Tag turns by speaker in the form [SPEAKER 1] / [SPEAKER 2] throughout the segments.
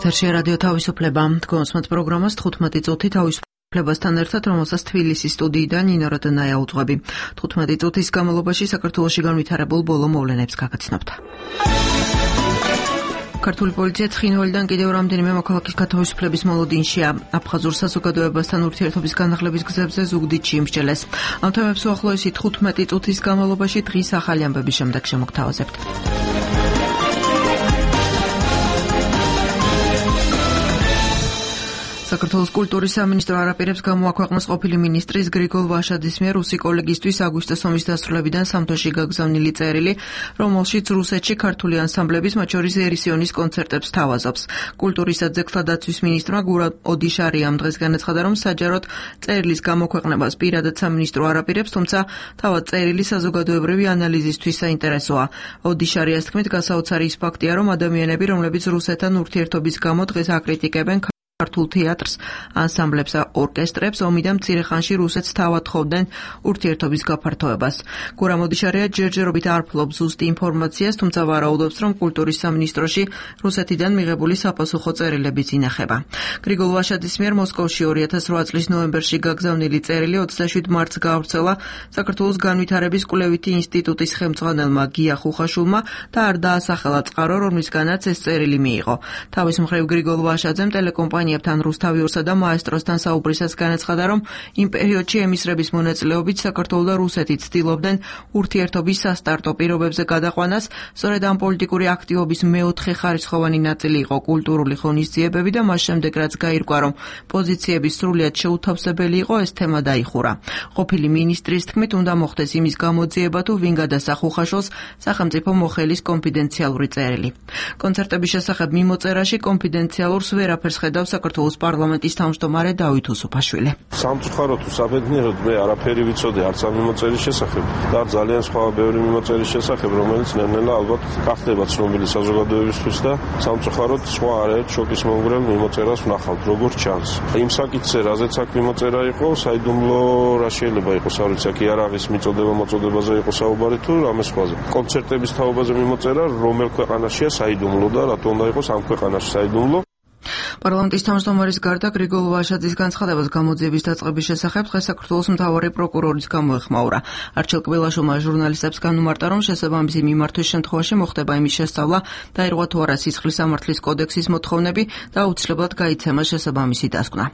[SPEAKER 1] ეთერშია რადიო თავისუფლება. თქვენს პროგრამას 15 წუთი თავისუფლებასთან ერთად, რომელსაც თბილისის სტუდიიდან ნინო როდნაია უძღვები. 15 წუთის განმავლობაში საქართველოში განვითარებულ ბოლო მოვლენებს გაგაცნობთ. ქართული პოლიცია ცხინვალიდან კიდევ რამდენიმე მოქალაქის გათავისუფლების მოლოდინშია. აფხაზურ საზოგადოებასთან ურთიერთობის განახლების გზებზე ზუგდიდში იმსჯელეს. ამ თემებს უახლოესი 15 წუთის განმავლობაში დღის ახალი ამბების შემდეგ შემოგთავაზებთ. საქართველოს კულტურის სამინისტრო არაპირებს გამოაქვეყნეს ყოფილი მინისტრის გრიგოლ ვაშაძის მიერ რუსი კოლეგისთვის აგვისტოს ომის დასრულებიდან სამთოში გაგზავნილი წერილი, რომელშიც რუსეთში ქართული ანსამბლების, მათ შორის ერისიონის კონცერტებს თავაზობს. კულტურის და ძეგლთა დაცვის მინისტრმა გურა ოდიშარიამ დღეს განაცხადა, რომ საჯაროდ წერილის გამოქვეყნებას პირადად სამინისტრო არაპირებს, თუმცა თავად წერილი საზოგადოებრივი ანალიზისთვის საინტერესოა. ოდიშარიას თქმით, გასაოცარი ის ფაქტია, რომ ადამიანები, რომლებიც რუსეთთან ურთიერთობის გამო დღეს აკრიტიკებენ ქართულ თეატრს, ანსამბლებს და ორკესტრებს, ომიდან მცირე ხანში რუსეთს თავად თხოვდნენ ურთიერთობის გაფართოებას. გურამ ოდიშარია ჯერჯერობით არ ფლობს ზუსტ ინფორმაციას, თუმცა ვარაუდობს, რომ კულტურის სამინისტროში რუსეთიდან მიღებული საპასუხო წერილებიც ინახება. გრიგოლ ვაშაძის მიერ მოსკოვში 2008 წლის ნოემბერში გაგზავნილი წერილი 27 მარტს გაავრცელა საქართველოს განვითარების კვლევითი ინსტიტუტის ხელმძღვანელმა გია ხუხაშულმა და არ დაასახელა წყარო, რომლისგანაც ეს წერილი მიიღო. თავის მხრივ გრიგოლ ვაშაძემ ტელეკომპანიებთან რუსთავიურსა და მაესტროსთან საუბრისას განაცხადა, რომ იმ პერიოდში ემისრების მონაწილეობით საქართველო და რუსეთი ცდილობდნენ ურთიერთობის სასტარტო პირობებზე გადაყვანას, სწორედ ამ პოლიტიკური აქტივობის მეოთხე ხარისხოვანი ნაწილი იყო კულტურული ღონისძიებები და მას შემდეგ რაც გაირკვა, რომ პოზიციების სრულიად შეუთავსებელი იყო, ეს თემა დაიხურა. ყოფილი მინისტრის თქმით, უნდა მოხდეს იმის გამოძიება, თუ ვინ გადასცა ხუხაშულს სახელმწიფო მოხელის კონფიდენციალური წერილი. კონცერტების შესახებ მიმოწერაში კონფიდენციალურს ვერაფერს ხედავს საქართველოს პარლამენტის თავმჯდომარე დავით უსუფაშვილი.
[SPEAKER 2] სამწუხაროდ თუ საბედნიეროდ მე არაფერი ვიცოდი არც ამ მიმოწერის შესახებ და ძალიან სხვა ბევრი მიმოწერის შესახებ, რომელიც ნელ-ნელა ალბათ გახდება ცნობილი საზოგადოებისთვის და სამწუხაროდ სხვა არაერთ შოკის მომგვრელ მიმოწერას ვნახავთ, როგორც ჩანს. იმ საკითხზე, რაზეც აქ მიმოწერა იყო, საიდუმლო რა შეიძლება იყოს, არ ვიცი, აქ იარაღის მიწოდება-მოწოდებაზე იყო საუბარი თუ რამე სხვაზე. კონცერტების თაობაზე მიმოწერა, რომელ ქვეყანაშია საიდუმლო და რატო უნდა იყოს ამ ქვეყანაში საიდუმლო.
[SPEAKER 1] პარლამენტის თავმჯდომარის გარდა გრიგოლ ვაშაძის განცხადებას გამოძიების დაწყების შესახებ დღეს საქართველოს მთავარი პროკურორის გამოეხმაურა. არჩილ კბილაშვილმა ჟურნალისტებს განუმარტა, რომ შესაბამისი მიმართვის შემთხვევაში მოხდება იმის შესწავლა, დაირღვა თუ არა სისხლის სამართლის კოდექსის მოთხოვნები და აუცილებლად გაიცემა შესაბამისი დასკვნა.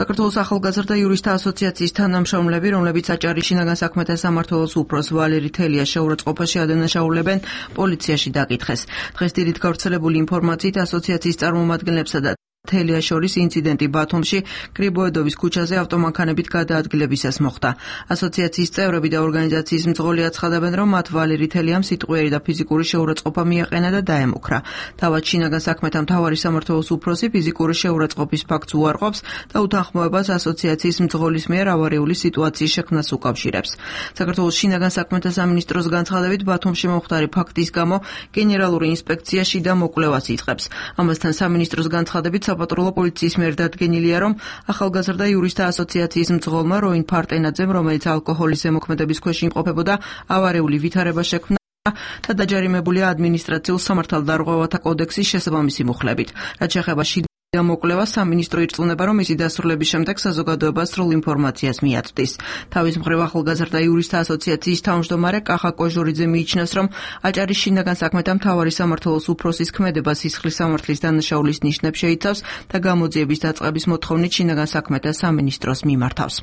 [SPEAKER 1] საქართველოს ახალგაზრდა იურისტთა ასოციაციის თანამშრომლები, რომლებიც აჭარის შინაგან საქმეთა სამმართველოს უფროს ვალერი თელიას შეურაცხყოფაში ადანაშაულებენ, პოლიციაში დაკითხეს. დღეს დილით გავრცელებული ინფორმაციით ასოციაციის წარმომადგენლებსა და თელიას შორის ინციდენტი ბათუმში გრიბოედოვის ქუჩაზე ავტომანქანებით გადაადგილებისას მოხდა. ასოციაციის წევრები და ორგანიზაციის მძღოლი აცხადებენ, რომ მათ ვალერი თელიამ სიტყვიერი და ფიზიკური შეურაცხყოფა მიაყენა და დაემუქრა. თავად შინაგან საქმეთა მთავარი სამმართველოს უფროსი ფიზიკური შეურაცხყოფის ფაქტს უარყოფს და უთანხმოებას ასოციაციის მძღოლის მიერ ავარიული სიტუაციის შექმნას უკავშირებს. საქართველოს შინაგან საქმეთა სამინისტროს განცხადებით, ბათუმში მომხდარი ფაქტის გამო გენერალური ინსპექცია შიდა მოკვლევას იწყებს. ამასთან სამინისტროს განცხადებით საპატრულო პოლიციის მიერ დადგენილია, რომ ახალგაზრდა იურისტთა ასოციაციის მძღოლმა როინ ფარტენაძემ, რომელიც ალკოჰოლის ზემოქმედების ქვეშ იმყოფებოდა, ავარიული ვითარება შექმნა და დაჯარიმებულია ადმინისტრაციულ სამართალდარღვევათა კოდექსის შესაბამისი მუხლებით. რაც შეეხება მოკვლევა, სამინისტრო ირწმუნება, რომ მისი დასრულების შემდეგ საზოგადოებას სრულ ინფორმაციას მიაწვდის. თავის მხრივ ახალგაზრდა იურისტთა ასოციაციის თავმჯდომარე კახა კოჟურიძე მიიჩნევს, რომ აჭარის შინაგან საქმეთა მთავარი სამმართველოს უფროსის ქმედება სისხლის სამართლის დანაშაულის ნიშნებს შეიცავს და გამოძიების დაწყების მოთხოვნით შინაგან საქმეთა სამინისტროს მიმართავს.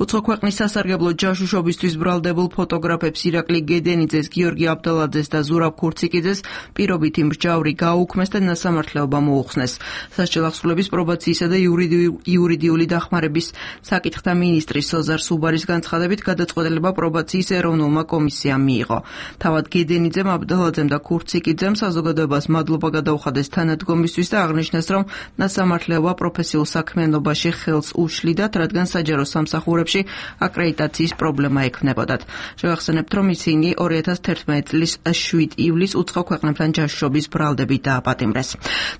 [SPEAKER 1] უცხო ქვეყნის სასარგებლო ჯაშუშობისთვის ბრალდებულ ფოტოგრაფებს ირაკლი გედენიძეს, გიორგი აბდალაძეს და ზურაბ ქურციკიძეს პირობითი მსჯავრი გააუქმეს და ნასამართლეობა მოუხსნეს. სულების პრობაციისა და იურიდიული დახმარების საკითხთა მინისტრის სოზარ სუბარის განცხადებით გადაწყვეტილება პრობაციის ეროვნულმა კომისიამ მიიღო. თავად გედენიძემ, აბდალაძემ და ქურციკიძემ საზოგადოებას მადლობა გადაუხადეს თანადგომისთვის და აღნიშნეს, რომ ნასამართლეობა პროფესიულ საქმიანობაში ხელს უშლიდათ, რადგან საჯარო სამსახურებში აკრედიტაციის პრობლემა ექნებოდათ. შევახსენებთ, რომ ისინი 2011 წლის 7 ივლისს უცხო ქვეყნებთან ჯაშუშობის ბრალდებით დააპატიმრეს.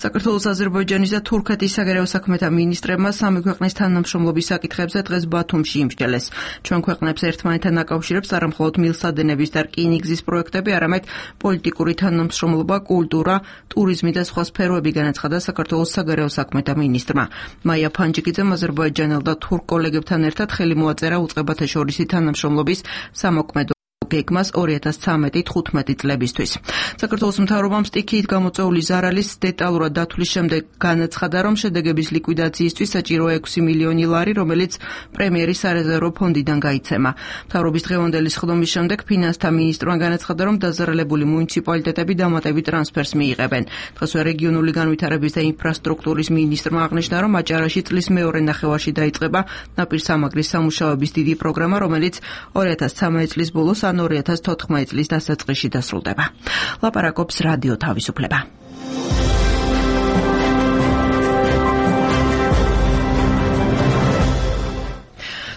[SPEAKER 1] საქართველოს, აზერბაიჯანის და თურქეთის თურქეთის საგარეო საქმეთა მინისტრებმა სამი ქვეყნის თანამშრომლობის საკითხებზე დღეს ბათუმში იმსჯელეს. ჩვენ ქვეყნებს ერთმანეთთან აკავშირებს არა მხოლოდ მილსადენების და რკინიგზის პროექტები, არამედ პოლიტიკური თანამშრომლობა, კულტურა, ტურიზმი და სხვა სფეროები, განაცხადა საქართველოს საგარეო საქმეთა მინისტრმა. მაია ფანჯიკიძემ აზერბაიჯანელ და თურქ კოლეგებთან ერთად ხელი მოაწერა უწყებათა შორისი თანამშრომლობის სამოქმედო გეგმას 2013-15 წლებისთვის. საქართველოს მთავრობამ სტიქიით გამოწვეული ზარალის დეტალურად დათვლის შემდეგ განაცხადა, რომ შედეგების ლიკვიდაციისთვის საჭირო 6 მილიონი ლარი, რომელიც პრემიერის სარეზერვო ფონდიდან გაიცემა. მთავრობის დღევანდელი სხდომის შემდეგ ფინანსთა მინისტრმა განაცხადა, რომ დაზარალებული მუნიციპალიტეტები დამატებით ტრანსფერს მიიღებენ. დღესვე რეგიონული განვითარების და ინფრასტრუქტურის მინისტრმა აღნიშნა, რომ აჭარაში წლის მეორე ნახევარში დაიწყება ნაპირსამაგრის სამუშაოების დიდი პროგრამა, რომელიც 2013 წლის ბოლოს 2014 წლის დასაწყისში დასრულდება. ლაპარაკობს რადიო თავისუფლება.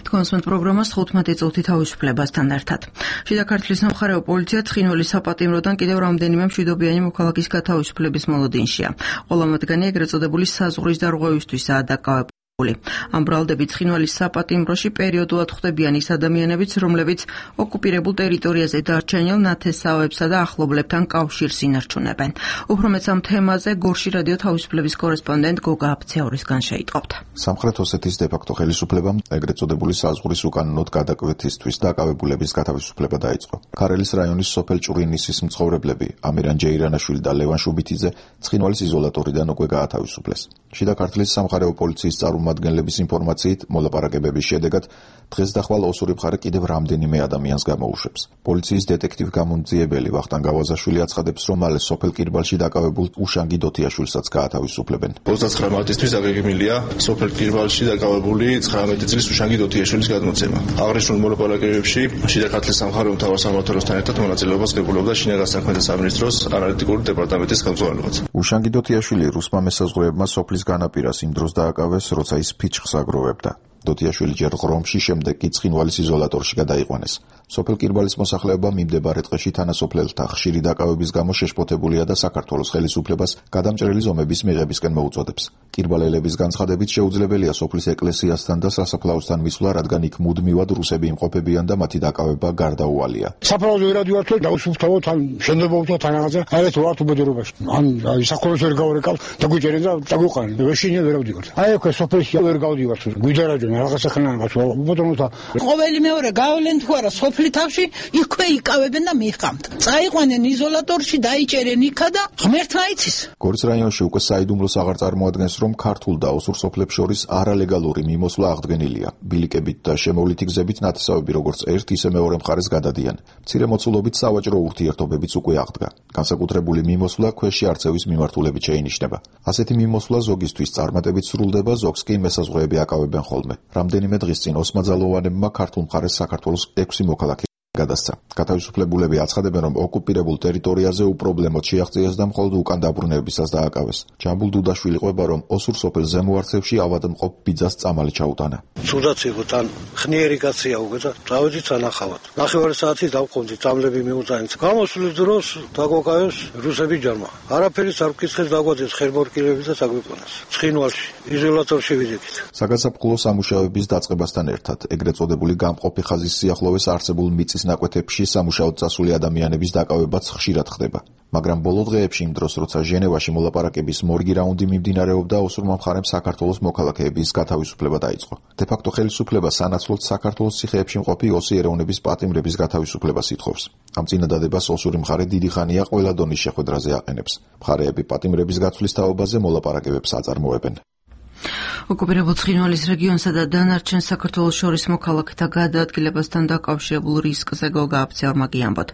[SPEAKER 1] კონსმენტ პროგრამას 15 წუთი თავისუფლებასთან ერთად. შიდა ქართლის სამხარეო პოლიცია ცხინვალის საპატიმროდან კიდევ რამდენიმე მშვიდობიანი მოქალაქის გათავისუფლების მოლოდინშია. ყველა მათგანი ეგრეთ წოდებული საზღვრის დარღვევისთვისაა დაკავებული. ამ ბრალდებით ცხინვალის საპატიმროში პერიოდულად ხვდებიან ის ადამიანებიც, რომლებიც ოკუპირებულ ტერიტორიაზე დარჩენილ ნათესავებსა და ახლობლებთან კავშირს ინარჩუნებენ. უფრო მეც ამ თემაზე გორში რადიო თავისუფლების კორესპონდენტ გოგა აფცეორისგან შეიტყობთ.
[SPEAKER 3] სამხრეთ ოსეთის დე-ფაქტო ხელისუფლებამ ეგრეთ წოდებული საზღვრის უკანონოდ გადაკვეთისთვის დაკავებულების გათავისუფლება დაიწყო. ქარელის რაიონის სოფელ ჭურინისის მცხოვრებლები ამირან ჯეირანაშვილი და ლევან შუბითიძე ცხინვალის იზოლატორიდან უკვე გაათავისუფლეს. შიდა ქართლის სამხარეო პოლიციის წარმომადგენლების ინფორმაციით, მოლაპარაკებების შედეგად დღეს დახვალ ოსური მხარე კიდევ რამდენიმე ადამიანს გამოუშვებს. პოლიციის დეტექტივ გამომძიებელი ვახტანგ გავაზაშვილი აცხადებს, რომ მალე სოფელ კირბალში დაკავებულ უშანგი დოთიაშვილსაც გაათავისუფლებენ.
[SPEAKER 4] 29 მარტისთვის დაგეგმილია სოფელ კირბალში დაკავებული 19 წლის უშანგი დოთიაშვილის გადმოცემა. აღნიშნულ მოლაპარაკებებში შიდა ქართლის სამხარეო მთავარსამმართველოსთან ერთად მონაწილეობას ღებულობდა შინაგან საქმეთა სამინისტროს ანალიტიკური დეპარტამენტის ხელმძღვანელობაც.
[SPEAKER 3] უშანგი დოთიაშვილი რუსმა მესაზღვრეებმა სოფლის განაპირას იმ დროს დააკავეს, როცა ის ფიჩხს აგროვებდა. დოთიაშვილი ჯერ ღრომში, შემდეგ კი ცხინვალის იზოლატორში გადაიყვანეს. სოფელ კირბალის მოსახლეობა მიმდებარე ტყეში თანასოფლელთა ხშირი დაკავების გამო შეშფოთებულია და საქართველოს ხელისუფლებას გადამჭრელი ზომების მიღებისკენ მოუწოდებს. კირბალელების განცხადებით შეუძლებელია სოფლის ეკლესიასთან და სასაფლაოსთან მისვლა, რადგან იქ მუდმივად რუსები იმყოფებიან და მათი დაკავება გარდაუვალია.
[SPEAKER 5] საფლაოზე ვერადივართ და უსუფთავოთ ან შენდებობთ ან რაღაცა აერეთ ვართ უბედურობაში. ან საქართველოს ვერ გავრეკავთ და გვიჭერენ და დაგვიყარენ. ვეშინე ვერ ავდივართ. აი აქ სოფელში ვერ გავდივართ. გვიდარაჯენ რაღაცა ხნანებას უბედურობთ.
[SPEAKER 6] ყოველი მეორე გავლენ თუ არა სოფლის თავში იქვე იკავებენ და მიხამთ. წაიყვანენ იზოლატორში, დაიჭერენ იქა და ღმერთმა იცის.
[SPEAKER 3] გორის რაიონში უკვე საიდუმლოს აღარ წარმოადგენს, რომ ქართულ და ოსურ სოფლებს შორის არალეგალური მიმოსვლა აღდგენილია. ბილიკებით და შემოვლითი გზებით ნათესავები როგორც ერთ, ისე მეორე მხარეს გადადიან. მცირე მოცულობით სავაჭრო ურთიერთობებიც უკვე აღდგა. განსაკუთრებული მიმოსვლა ქვეში არწევის მიმართულებით შეინიშნება. ასეთი მიმოსვლა ზოგისთვის წარმატებით სრულდება, ზოგს კი მესაზღვრეები აკავებენ ხოლმე. რამდენიმე დღის წინ ოსმაძალოვანებმა ქართულ მხარეს საქართველოს 6 მოქალაქე გადასცა. გათავისუფლებულები აცხადებენ, რომ ოკუპირებულ ტერიტორიაზე უპრობლემოდ შეაღწიეს და მხოლოდ უკან დაბრუნებისას დააკავეს. ჯამბულ დუდაშვილი ყვება, რომ ოსურ სოფელ ზემო არცევში ავადმყოფ ბიძას წამალი ჩაუტანა.
[SPEAKER 5] სუდაც იყო თან ხნიერი კაცია უკვე და წავედით სანახავად. ნახევარი საათი დავყავდი, წამლები მიუწაინც. გამოსვლის დროს დაგვაკავეს რუსები ჯარმა. არაფერიც არ ვკითხეს, დაგვაძეს ხერმორკილები და დაგვიყვანეს. ცხინვალში იზოლატორში ვიდექით.
[SPEAKER 3] საგაზაფხულო სამუშაოების დაწყებასთან ერთად ეგრეთ წოდებული გამყოფი ხაზის სიახლოვეს არსებულ მიწის ნაკვეთებში სამუშაოდ წასული ადამიანების დაკავებაც ხშირად ხდება. მაგრამ ბოლო დღეებში იმ დროს, როცა ჟენევაში მოლაპარაკების მორგი რაუნდი მიმდინარეობდა, ოსურმა მხარემ საქართველოს მოქალაქეების გათავისუფლება დაიწყო. დე-ფაქტო ხელისუფლება სანაცვლოდ საქართველოს ციხეებში მყოფი ოსი ეროვნების პატიმრების გათავისუფლებას ითხოვს. ამ წინადადებას ოსური მხარე დიდი ხანია ყველა დონის შეხვედრაზე აყენებს. მხარეები პატიმრების გაცვლის თაობაზე მოლაპარაკებებს აწარმოებენ.
[SPEAKER 1] ოკუპირებულ ცხინვალის რეგიონსა და დანარჩენ საქართველოს შორის მოქალაქეთა გადაადგილებასთან დაკავშირებულ რისკზე გოგა აფცეორმა გიამბოთ.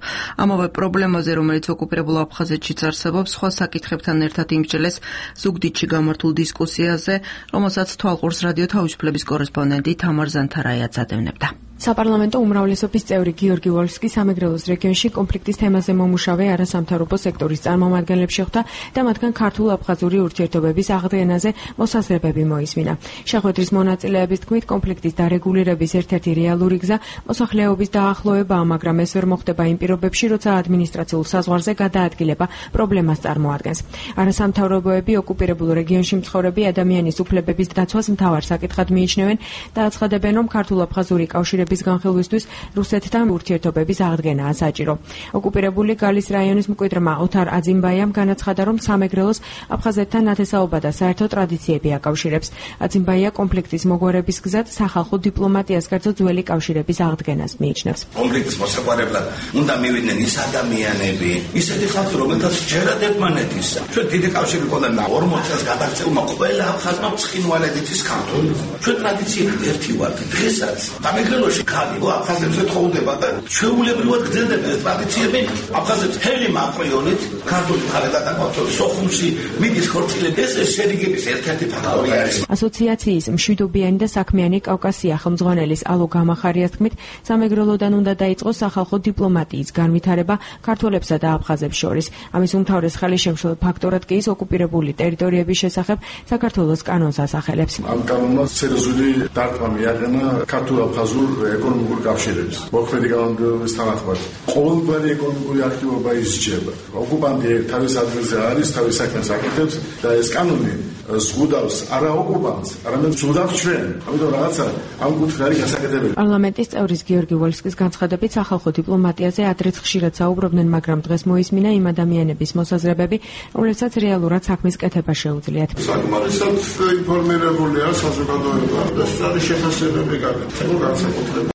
[SPEAKER 1] ამავე პრობლემაზე, რომელიც ოკუპირებულ აფხაზეთშიც არსებობს, სხვა საკითხებთან ერთად იმსჯელეს ზუგდიდში გამართულ დისკუსიაზე, რომელსაც თვალყურს რადიო თავისუფლების კორესპონდენტი თამარ ზანთარაია აცადევნებდა.
[SPEAKER 7] საპარლამენტო უმრავლესობის წევრი გიორგი ვოლსკი სამეგრელოს რეგიონში კონფლიქტის თემაზე მომუშავე არასამთავრობო სექტორის წარმომადგენლებს შეხვდა და მათგან ქართულ-აფხაზური ურთიერთობების აღდგენაზე მოსაზრებები მოისმინა. შეხვედრის მონაწილეების თქმით, კონფლიქტის დარეგულირების ერთ-ერთი რეალური გზა მოსახლეობის დაახლოებაა, მაგრამ ეს ვერ მოხდება იმ პირობებში, როცა ადმინისტრაციულ საზღვარზე გადაადგილება პრობლემას წარმოადგენს. არასამთავრობოები ოკუპირებულ რეგიონში მცხოვრები ადამიანის უფლებების დაცვას მთავარ საკითხად მიიჩნევენ და აცხადებენ, რომ ქართულ-აფხაზური კავშირების განხილვისთვის რუსეთთან ურთიერთობების აღდგენაა საჭირო. ოკუპირებული გალის რაიონის მკვიდრმა ოთარ აძიმბაიამ განაცხადა, რომ სამეგრელოს აფხაზეთთან ნათესაობა და საერთო ტრადიციები აკავშირებს. აძიმბაია კონფლიქტის მოგვარების გზად სახალხო დიპლომატიას გარდა ძველი კავშირების აღდგენას მიიჩნევს.
[SPEAKER 8] კონფლიქტის მოსაგვარებლად უნდა მივიდნენ ის ადამიანები, ისეთი ხალხი, რომელთაც ჯერად ერთმანეთის. ჩვენ დიდი კავშირი გქონდა 40 წელს გადაღწევმა ყველა აფხაზმა ცხინვალედით ის ქართული. ჩვენ ტრადიციებით ერთი ვართ. დღესაც სამეგრელოში ხალი აფხაზებს ეთხოვდება და ჩვეულებრივად გრძელდება ეს ტრადიციები. აფხაზებს ჰელი მაყრიონით ქართული მხარე გადაგვაქვს სოხუმში მიდის ხორციელები. ეს შერიგების ერთ-ერთი ფაქტორი არის.
[SPEAKER 7] ასოციაციის მშვიდობიანი და საქმიანი კავკასია ხელმძღვანელის ალო გამახარიას თქმით, სამეგრელოდან უნდა დაიწყოს სახალხო დიპლომატიის განვითარება ქართველებსა და აფხაზებს შორის. ამის უმთავრეს ხელისშემშლელ ფაქტორად კი ის ოკუპირებული ტერიტორიების შესახებ საქართველოს კანონს ასახელებს.
[SPEAKER 9] ამ კანონმა სერიოზული დარტყმა მიაყენა ქართულ-აფხაზურ ეკონომიკურ კავშირებს. მოქმედი კანონმდებლობის თანახმად ყოველგვარი ეკონომიკური აქტივობა ისჯება. ოკუპანტი თავის ადგილზე არის, თავის საქმეს აკეთებს და ეს კანონი ზღუდავს არა ოკუპანტს, არამედ ზღუდავს ჩვენ. ამიტომ რაღაცა ამ კუთხე არის გასაკეთებელი.
[SPEAKER 7] პარლამენტის წევრის გიორგი ვოლსკის განცხადებით სახალხო დიპლომატიაზე ადრეც ხშირად საუბრობდნენ, მაგრამ დღეს მოისმინა იმ ადამიანების მოსაზრებები, რომლებსაც რეალურად საქმის კეთება შეუძლიათ.
[SPEAKER 9] საკმარისად ინფორმირებულია საზოგადოება და სწორი შეფასებები გაკეთება განსაკუთრებით.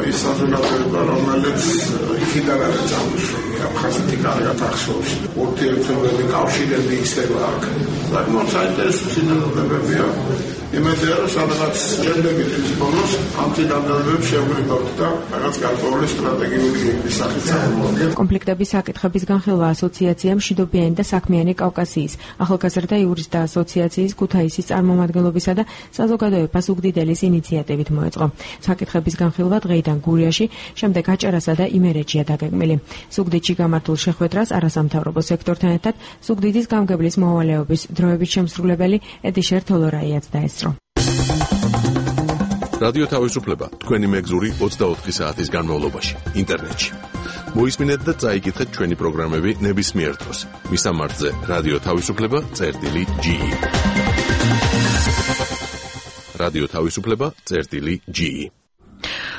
[SPEAKER 9] ის საზოგადოება, რომელიც იქიდან არის წამოსული, აფხაზეთი კარგად ახსოვს. ურთიერთობები, კავშირები ისევ აქვს. საკმაოდ საინტერესო სინამდვილეებია. იმედია, რომ სადღაც შემდეგი თვის ბოლოს ამ ციგანებებს შევგრიგავთ და რაღაც გარკვეული სტრატეგიული გეგმის სახით წარმოგვიდგენთ.
[SPEAKER 7] კონფლიქტების საკითხების განხილვა ასოციაციამ მშვიდობიანი და საქმიანი კავკასიის, ახალგაზრდა იურისტთა ასოციაციის ქუთაისის წარმომადგენლობისა და საზოგადოებას უგდიდელის ინიციატივით მოეწყო. საკითხების განხილვა დღეიდან გურიაში, შემდეგ აჭარასა და იმერეთშია დაგეგმილი. ზუგდიდში გამართულ შეხვედრას არასამთავრობო სექტორთან ერთად ზუგდიდის გამგებლის მოვალეობის დროებით შემსრულებელი ედიშერ თოლორაიაც დაესწრო.
[SPEAKER 10] რადიო თავისუფლება თქვენი მეგზური 24 საათის განმავლობაში ინტერნეტში. მოისმინეთ და წაიკითხეთ ჩვენი პროგრამები ნებისმიერ დროს. მისამართზე რადიო თავისუფლება.ge. რადიო თავისუფლება.ge.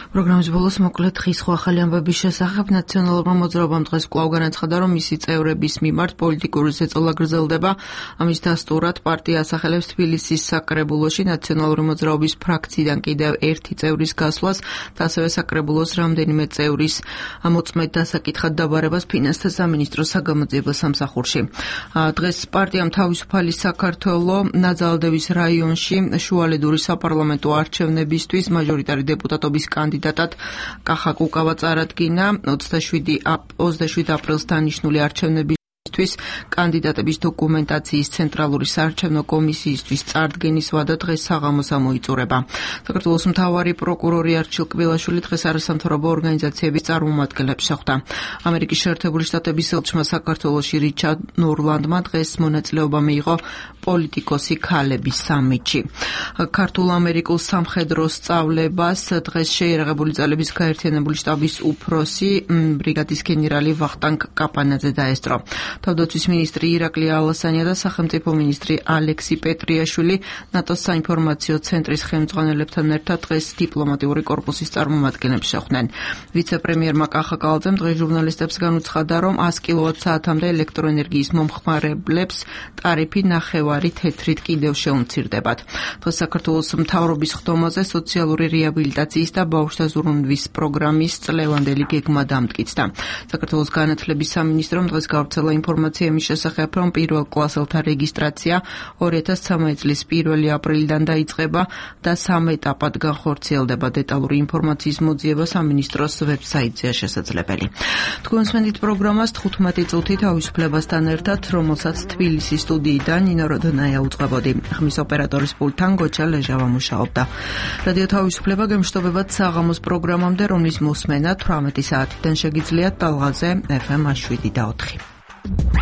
[SPEAKER 1] პროგრამის ბოლოს მოკლედ დღის სხვა ახალი ამბების შესახებ ნაციონალურმა მოძრაობამ დღეს კვლავ განაცხადა, რომ მისი წევრების მიმართ პოლიტიკური ზეწოლა გრძელდება. ამის დასტურად პარტია ასახელებს თბილისის საკრებულოში ნაციონალური მოძრაობის ფრაქციიდან კიდევ ერთი წევრის გასვლას და ასევე საკრებულოს რამდენიმე წევრის მოწმედ დასაკითხად დაბარებას ფინანსთა სამინისტროს საგამოძიებელ სამსახურში. დღეს პარტიამ თავისუფალი საქართველო ნაძალდევის რაიონში შუალედური საპარლამენტო არჩევნებისთვის მაჟორიტარი დეპუტატობის კანდიდატად კახა კუკავა წარადგინა. 27 აპრილს დანიშნული არჩევნებისთვის კანდიდატების დოკუმენტაციის ცენტრალური საარჩევნო კომისიისთვის წარდგენის ვადა დღეს საღამოს ამოიწურება. საქართველოს მთავარი პროკურორი არჩილ კბილაშვილი დღეს არასამთავრობო ორგანიზაციების წარმომადგენლებს შეხვდა. ამერიკის შეერთებული შტატების ელჩმა საქართველოში რიჩარდ ნორლანდმა დღეს მონაწილეობა მიიღო პოლიტიკოსი ქალების სამიტში. ქართულ-ამერიკულ სამხედრო სწავლებას დღეს შეიარაღებული ძალების გაერთიანებული შტაბის უფროსი ბრიგადის გენერალი ვახტანგ კაპანაძე დაესწრო. თავდაცვის მინისტრი ირაკლი ალასანია და სახელმწიფო მინისტრი ალექსი პეტრიაშვილი ნატოს საინფორმაციო ცენტრის ხელმძღვანელებთან ერთად დღეს დიპლომატიური კორპუსის წარმომადგენლებს შეხვდნენ. ვიცე-პრემიერმა კახა კალაძემ დღეს ჟურნალისტებს განუცხადა, რომ 100 კილოვატ-საათამდე ელექტროენერგიის მომხმარებლებს ტარიფი ნახევარი თეთრით კიდევ შეუმცირდებათ. დღეს საქართველოს მთავრობის ხდომაზე სოციალური რეაბილიტაციის და ბავშვთა ზრუნვის პროგრამის წლევანდელი გეგმა დამტკიცდა. საქართველოს განათლების სამინისტრომ დღეს გავრცელა ინფორმაცია იმის შესახებ, რომ პირველ კლასელთა რეგისტრაცია 2013 წლის 1 აპრილიდან დაიწყება და 3 ეტაპად განხორციელდება. დეტალური ინფორმაციის მოძიება სამინისტროს ვებსაიტზეა შესაძლებელი. თქვენს მენდით პროგრამას 15 წუთი თავისუფლებასთან ერთად, რომელსაც თბილისის სტუდიიდან ნინო როდონაია უწყებოდი. ხმის ოპერატორის პულტთან გოჩა ლეჟავა მუშაობდა. რადიო თავისუფლება გემშვიდობებათ საღამოს პროგრამამდე, რომლის მოსმენა 18 საათიდან შეგიძლიათ ტალღაზე FM 7 და 4.